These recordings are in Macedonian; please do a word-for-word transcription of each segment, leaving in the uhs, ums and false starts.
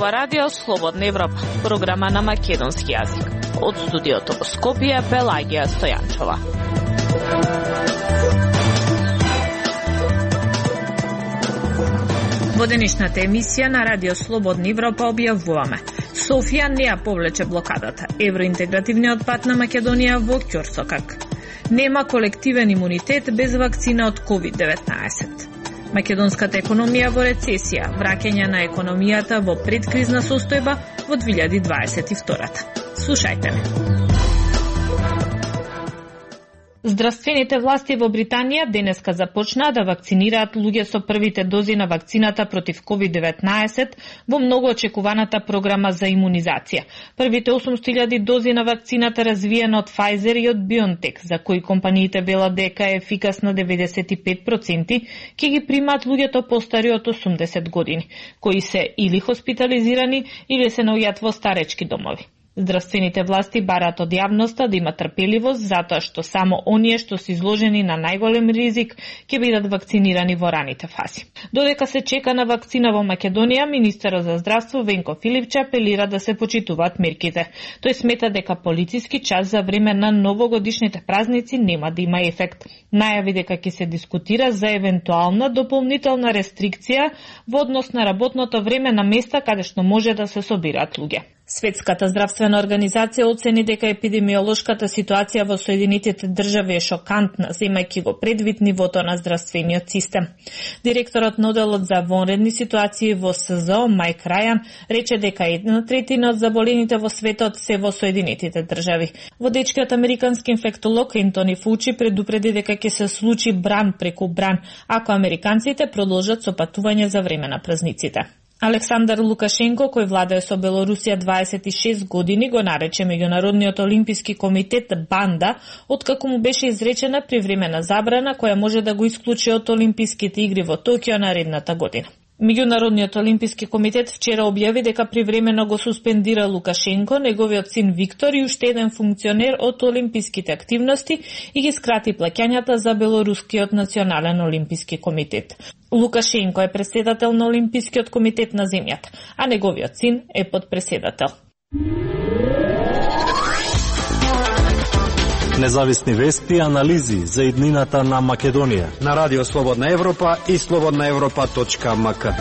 ова радио Слободна Европа, програма на македонски јазик. Од студиото во Скопје, Пелагија Стојанчова. Во денешната емисија на радио Слободна Европа објавуваме: Софија не ја повлече блокадата, евроинтегративниот пат на Македонија во ќорсокак. Нема колективен имунитет без вакцина од ковид деветнаесет. Македонската економија во рецесија, враќање на економијата во предкризна состојба во две илјади дваесет и втора. Слушајте ме. Здравствените власти во Британија денеска започнаа да вакцинираат луѓе со првите дози на вакцината против ковид деветнаесет во многу очекуваната програма за имунизација. Првите осумстотини илјади дози на вакцината развиена од Pfizer и од BioNTech, за кои компаниите велат дека е ефикасна деветдесет и пет проценти, ќе ги примаат луѓето постари од осумдесет години, кои се или хоспитализирани или се наоѓаат во старечки домови. Здравствените власти бараат од јавноста да има трпеливост, затоа што само оние што се изложени на најголем ризик ќе бидат вакцинирани во раните фази. Додека се чека на вакцина во Македонија, министерот за здравство Венко Филипче апелира да се почитуваат мерките. Тој смета дека полициски час за време на новогодишните празници нема да има ефект. Најави дека ќе се дискутира за евентуална дополнителна рестрикција во однос на работното време на места каде што може да се собираат луѓе. Светската здравствена организација оцени дека епидемиолошката ситуација во Соединетите држави е шокантна, земајќи во предвид нивото на здравствениот систем. Директорот на оделот за вонредни ситуации во СЗО Мајк Рајан рече дека една третина од заболените во светот се во Соединетите држави. Водечкиот американски инфектолог Ентони Фаучи предупреди дека ќе се случи бран преку бран ако американците продолжат со патување за време на празниците. Александар Лукашенко, кој владее со Белорусија дваесет и шест години, го нарече Меѓународниот олимписки комитет банда, откако му беше изречена привремена забрана која може да го исклучи од олимписките игри во Токио наредната година. Меѓународниот олимписки комитет вчера објави дека привремено го суспендира Лукашенко, неговиот син Виктор и уште еден функционер од олимписките активности и ги скрати плаќањата за Белорускиот национален олимписки комитет. Лукашенко е председател на Олимпискиот комитет на земјата, а неговиот син е подпредседател. Независни вести и анализи за иднината на Македонија на Радио Слободна Европа и слободна европа точка ем ка.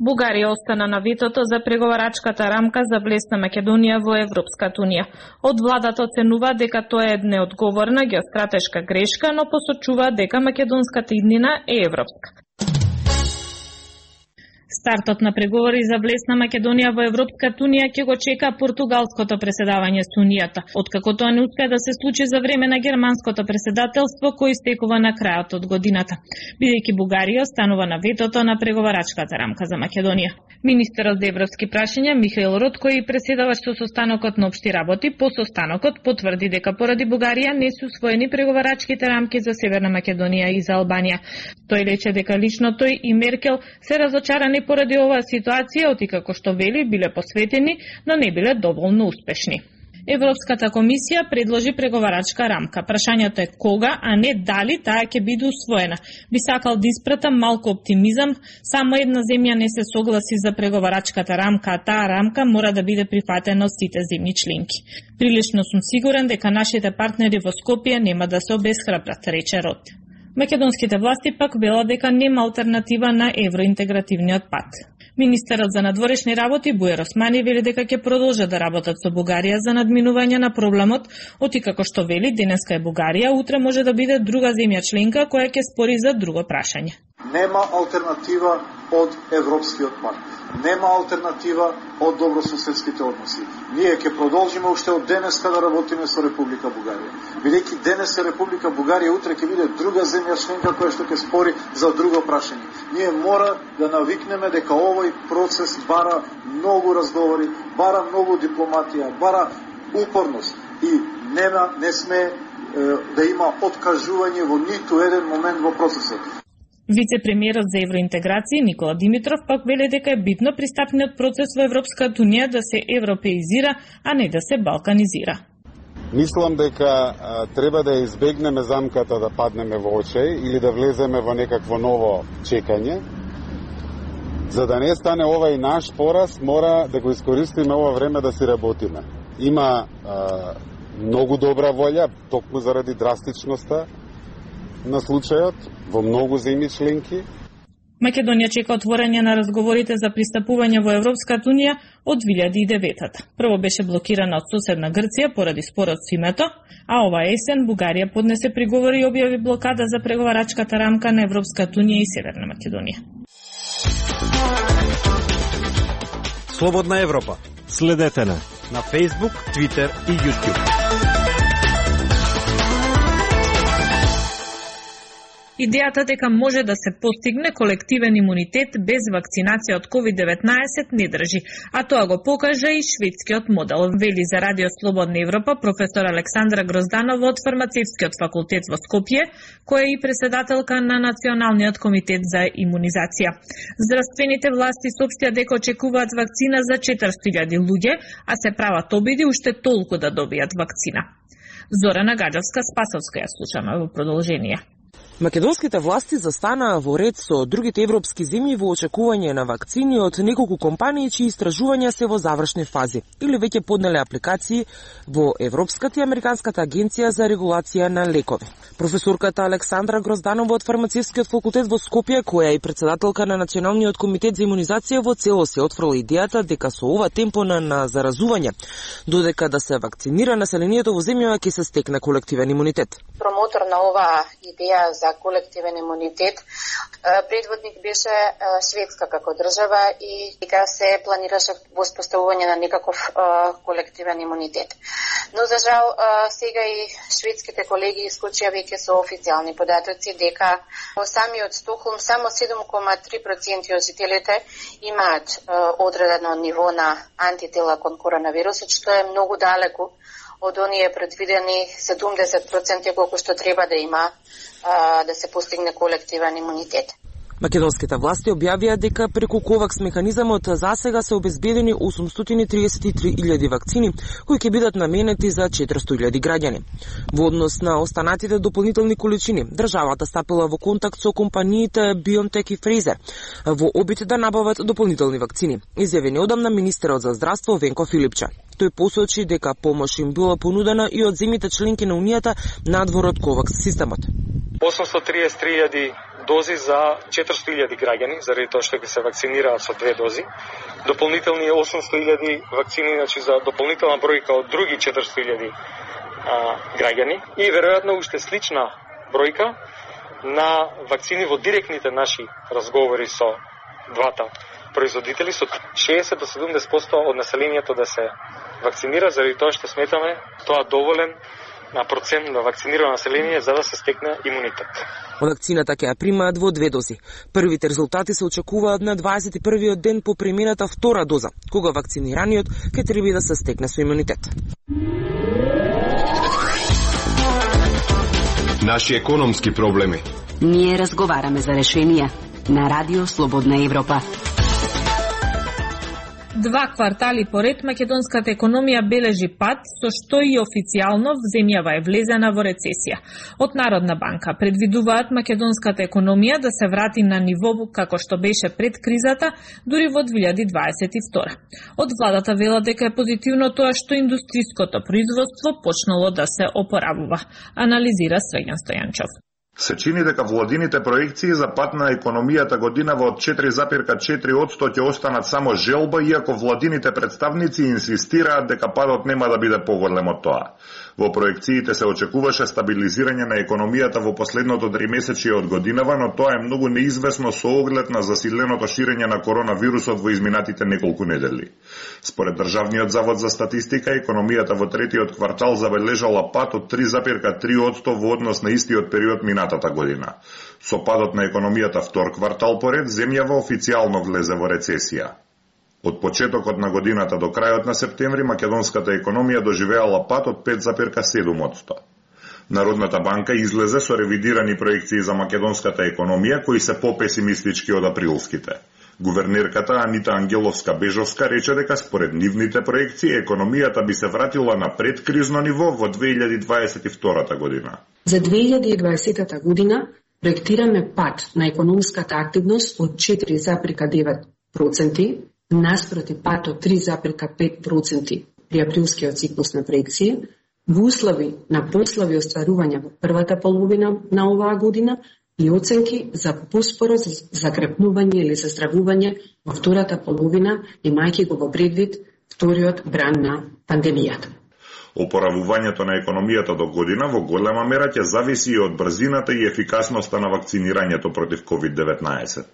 Бугарија остана на ветото за преговарачката рамка за влез на Македонија во Европската унија. Од владата оценува дека тоа е неодговорна геостратешка грешка, но посочува дека македонската иднина е европска. Стартот на преговори за влез на Македонија во Европската унија ќе го чека португалското преседавање со унијата, откако тоа не успеа да се случи за време на германското преседателство кој истекува на крајот од годината, бидејќи Бугарија останува на ветото на преговарачката рамка за Македонија. Министерот за европски прашања Михаил Ротко и преседавач со состанокот на општи работи по состанокот потврди дека поради Бугарија не се усвоени преговарачките рамки за Северна Македонија и за Албанија. Тој рече дека лично тој и Меркел се разочарани поради оваа ситуација, откако што вели биле посветени, но не биле доволно успешни. Европската комисија предложи преговарачка рамка. Прашањето е кога, а не дали таа ќе биде усвоена. Би сакал да испратам малку оптимизам, само една земја не се согласи за преговарачката рамка, а таа рамка мора да биде прифатена од сите земји членки. Прилично сум сигурен дека нашите партнери во Скопје нема да се обесхрабрат, рече Рот. Македонските власти пак велат дека нема алтернатива на евроинтегративниот пат. Министерот за надворешни работи Бујар Османи вели дека ќе продолжат да работат со Бугарија за надминување на проблемот, откако што вели денеска е Бугарија, утре може да биде друга земја членка која ќе спори за друго прашање. Нема алтернатива од европскиот пат. Нема алтернатива од добрососедските односи. Ние ќе продолжиме уште од денеска да работиме со Република Бугарија. Бидејќи денес е Република Бугарија, утре ќе биде друга земја членка која што ќе спори за друго прашање. Ние мора да навикнеме дека овој процес бара многу разговори, бара многу дипломатија, бара упорност и нема не сме е, да има откажување во ниту еден момент во процесот. Вице-премиерот за евроинтеграција Никола Димитров пак вели дека е битно пристапниот процес во Европската унија да се европеизира, а не да се балканизира. Мислам дека а, треба да избегнеме замката да паднеме во очај или да влеземе во некакво ново чекање. За да не стане ова и наш пораз, мора да го искористиме ова време да си работиме. Има а, многу добра волја, токму заради драстичноста на случајот во многу земји членки. Македонија чека отворање на разговорите за пристапување во Европската унија од две илјади и девета. Прво беше блокирана од соседна Грција поради спорот со името, а ова есен Бугарија поднесе приговори и објави блокада за преговарачката рамка на Европската унија и Северна Македонија. Слободна Европа. Следете на на Facebook, Twitter и YouTube. Идејата дека може да се постигне колективен имунитет без вакцинација од ковид деветнаесет не држи, а тоа го покажа и шведскиот модел, вели за Радио Слободна Европа професор Александра Грозданова од Фармацевскиот факултет во Скопје, која е и председателка на Националниот комитет за имунизација. Здравствените власти соопштија дека очекуваат вакцина за четиристотини илјади луѓе, а се прават обиди уште толку да добијат вакцина. Зорана Гаджевска Спасовска ја слушаме во продолжение. Македонските власти застанаа во ред со другите европски земји во очекување на вакцини од неколку компании чии истражувања се во завршни фази или веќе поднеле апликации во Европската и Американската агенција за регулација на лекови. Професорката Александра Грозданова од Фармацевскиот факултет во Скопје, која е и председателка на Националниот комитет за имунизација, во целост се отфрла идејата дека со ова темпо на, на заразување, додека да се вакцинира населението во земјава, ќе се стекне колективен имунитет. Промотор на оваа идеја за колективен имунитет предводник беше Шведска како држава и дека се планираше воспоставување на некаков колективен имунитет. Но за жал сега и шведските колеги исклучија веќе со официјални податоци дека во самиот Стокхолм само седум кoma три проценти од жителите имаат одредено ниво на антитела кон коронавирусот, што е многу далеку од оние предвидени седумдесет проценти колку што треба да има а, да се постигне колективен имунитет. Македонските власти објавија дека преку ковакс механизамот засега се обезбедени осумстотини триесет и три илјади вакцини, кои ќе бидат наменети за четиристотини илјади граѓани. Во однос на останатите дополнителни количини, државата стапила во контакт со компаниите BioNTech и Pfizer во обид да набават дополнителни вакцини, изјави неодамна министерот за здравство Венко Филипче. Тој посочи дека помош им била понудена и од земјите членки на Унијата надвор од ковакс системот. осумстотини триесет и три илјади дози за четиристотини илјади граѓани, заради тоа што ќе се вакцинираат со две дози. Дополнителни осумстотини илјади вакцини, значи за дополнителна бројка од други четиристотини илјади граѓани и веројатно уште слична бројка на вакцини во директните наши разговори со двата производители, со шеесет до седумдесет проценти од населението да се вакцинира, заради тоа што сметаме тоа доволен на процент на вакцинирано население за да се стекне имунитет. Вакцината ќе ја примаат во две дози. Првите резултати се очекуваат на дваесет и првиот ден по премината втора доза, кога вакцинираниот ќе треба да се стекне со имунитет. Наши економски проблеми. Ние разговараме за решенија на Радио Слободна Европа. Два квартали поред македонската економија бележи пад, со што и официјално земјава е влезена во рецесија. Од Народна банка предвидуваат македонската економија да се врати на ниво како што беше пред кризата, дури во две илјади дваесет и втора. Од владата велат дека е позитивно тоа што индустријското производство почнало да се опоравува, анализира Среѓан Стојанчов. Се чини дека владините проекции за пат на економијата годинава од четири запирка четири одсто ќе останат само желба, иако владините представници инсистираат дека падот нема да биде поголем од тоа. Во проекциите се очекуваше стабилизирање на економијата во последното тримесечие од годинава, но тоа е многу неизвестно со оглед на засиленото ширење на коронавирусот во изминатите неколку недели. Според Државниот завод за статистика, економијата во третиот квартал забележала пат од три запирка три одсто во однос на истиот период минатата година. Со падот на економијата втор квартал поред, земјава официјално влезе во рецесија. Од почетокот на годината до крајот на септември, македонската економија доживеала пат од пет запирка седум одсто. Народната банка излезе со ревидирани проекции за македонската економија, кои се попесимистички од априлските. Гувернерката Анита Ангеловска-Бежовска рече дека според нивните проекции економијата би се вратила на предкризно ниво во две илјади дваесет и втора година. За две илјади и дваесета година проектираме пад на економската активност од четири запирка девет проценти наспроти пад од три запирка пет проценти при априлскиот циклус на проекција, во услови на послаби остварувања во првата половина на оваа година и оценки за поспоро закрепнување или заздравување во втората половина, имајќи го во предвид вториот бран на пандемијата. Опоравувањето на економијата до година во голема мера ќе зависи и од брзината и ефикасноста на вакцинирањето против ковид деветнаесет.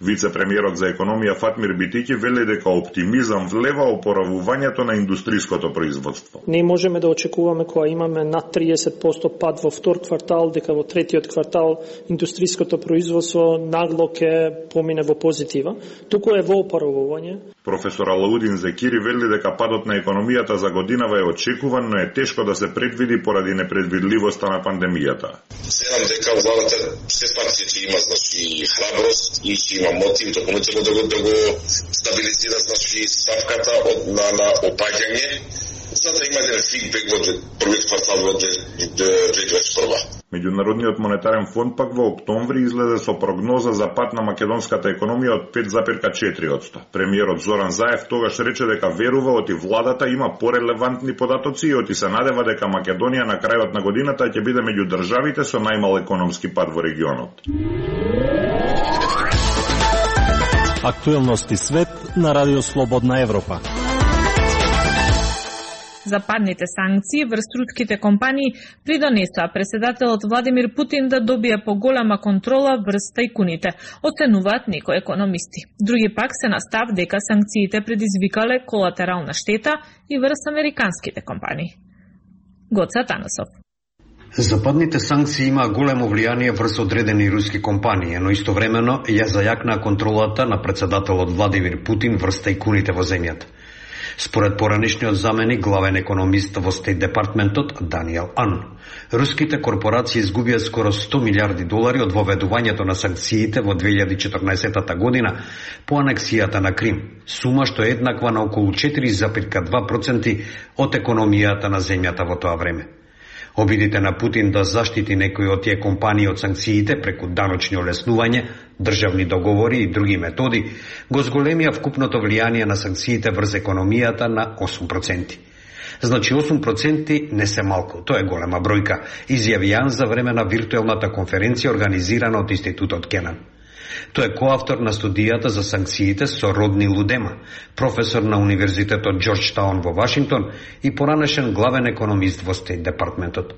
Вице-премиерот за економија Фатмир Битики вели дека оптимизам влева опоравувањето на индустриското производство. Не можеме да очекуваме кога имаме над триесет проценти пад во втор квартал, дека во третиот квартал индустриското производство нагло ќе помине во позитива. Туку е во опоравување. Професор Алаудин Зекири вели дека падот на економијата за годинава е очекуван, но е тешко да се предвиди поради непредвидливоста на пандемијата. Седам дека владата се пак ќе има значи храброст и ќе има мотив дополнително да го, да го стабилизира значи ставката од на, на опаѓање, за да има еден фидбек во првиот квартал во две илјади дваесет и прва. Меѓународниот монетарен фонд пак во октомври излезе со прогноза за пад на македонската економија од пет запирка четири проценти. Премиерот Зоран Заев тогаш рече дека верува оти владата има порелевантни податоци и оти се надева дека Македонија на крајот на годината ќе биде меѓу државите со најмал економски пад во регионот. Актуелности свет на Радио Слободна Европа. Западните санкции врз руските компании придонесоа преседателот Владимир Путин да добие поголема контрола врз тајкуните, оценуваат некои економисти. Други пак се на став дека санкциите предизвикале колатерална штета и врз американските компании. Гоца Танасов. Западните санкции имаа големо влијание врз одредени руски компании, но истовремено ја зајакнаа контролата на председателот Владимир Путин врз тајкуните во земјата. Според поранишниот заменик главен економист во Стейт департментот Даниел Ан, руските корпорации изгубија скоро сто милиарди долари од воведувањето на санкциите во две илјади и четрнаесета година по анексијата на Крим, сума што е еднаква на околу четири запирка два проценти од економијата на земјата во тоа време. Обидите на Путин да заштити некои од тие компании од санкциите преку даночни олеснување, државни договори и други методи, го зголемија вкупното влијание на санкциите врз економијата на осум проценти. Значи осум проценти не се малку, тоа е голема бројка, изјави Јан за време на виртуелната конференција организирана од Институтот Кенан. Тој е коавтор на студијата за санкциите со Родни Лудема, професор на Универзитетот Џорџтаун во Вашингтон и поранешен главен економист во Стейт департментот.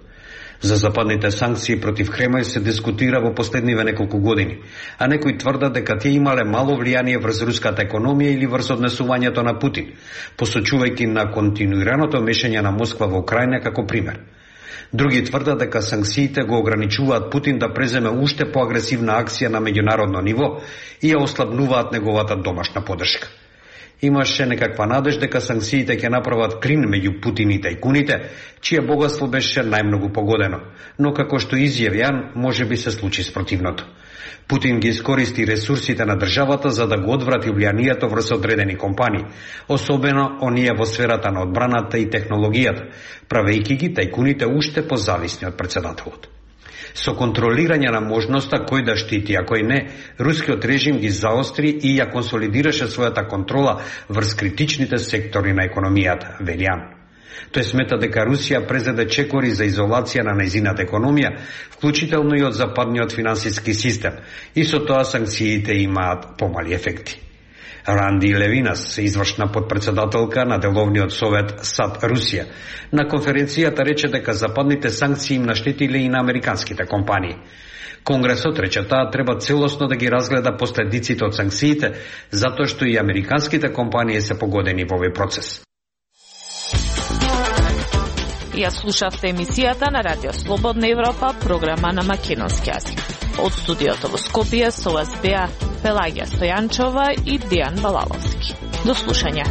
За западните санкции против Кремљ се дискутира во последниве неколку години, а некои тврдат дека тие имале мало влијание врз руската економија или врз однесувањето на Путин, посочувајќи на континуираното мешање на Москва во Украина како пример. Други тврдат дека санкциите го ограничуваат Путин да преземе уште поагресивна акција на меѓународно ниво и ја ослабнуваат неговата домашна подршка. Имаше некаква надеж дека санкциите ќе направат клин меѓу Путин и тајкуните, чие богатство беше најмногу погодено, но како што изјави Јан, може би се случи спротивното. Путин ги искористи ресурсите на државата за да го одврати влијанието врз одредени компании, особено оние во сферата на одбраната и технологијата, правејќи ги тајкуните уште позависни од председателот. Со контролирање на можноста кој да штити, а кој не, рускиот режим ги заостри и ја консолидираше својата контрола врз критичните сектори на економијата, вели Јан. Тој смета дека Русија презеде чекори за изолација на нејзината економија, вклучително и од западниот финансиски систем, и со тоа санкциите имаат помали ефекти. Ранди Левинас, извршна подпредседателка на деловниот совет САД Русија, на конференцијата рече дека западните санкции им наштетиле и на американските компании. Конгресот рече таа треба целосно да ги разгледа последиците од санкциите, затоа што и американските компании се погодени во овој процес. Ја слушавте емисијата на Радио Слободна Европа, програма на македонски јазик. Од студиото во Скопје со вас беа Пелагија Стојанчова и Дејан Балаловски. До слушање.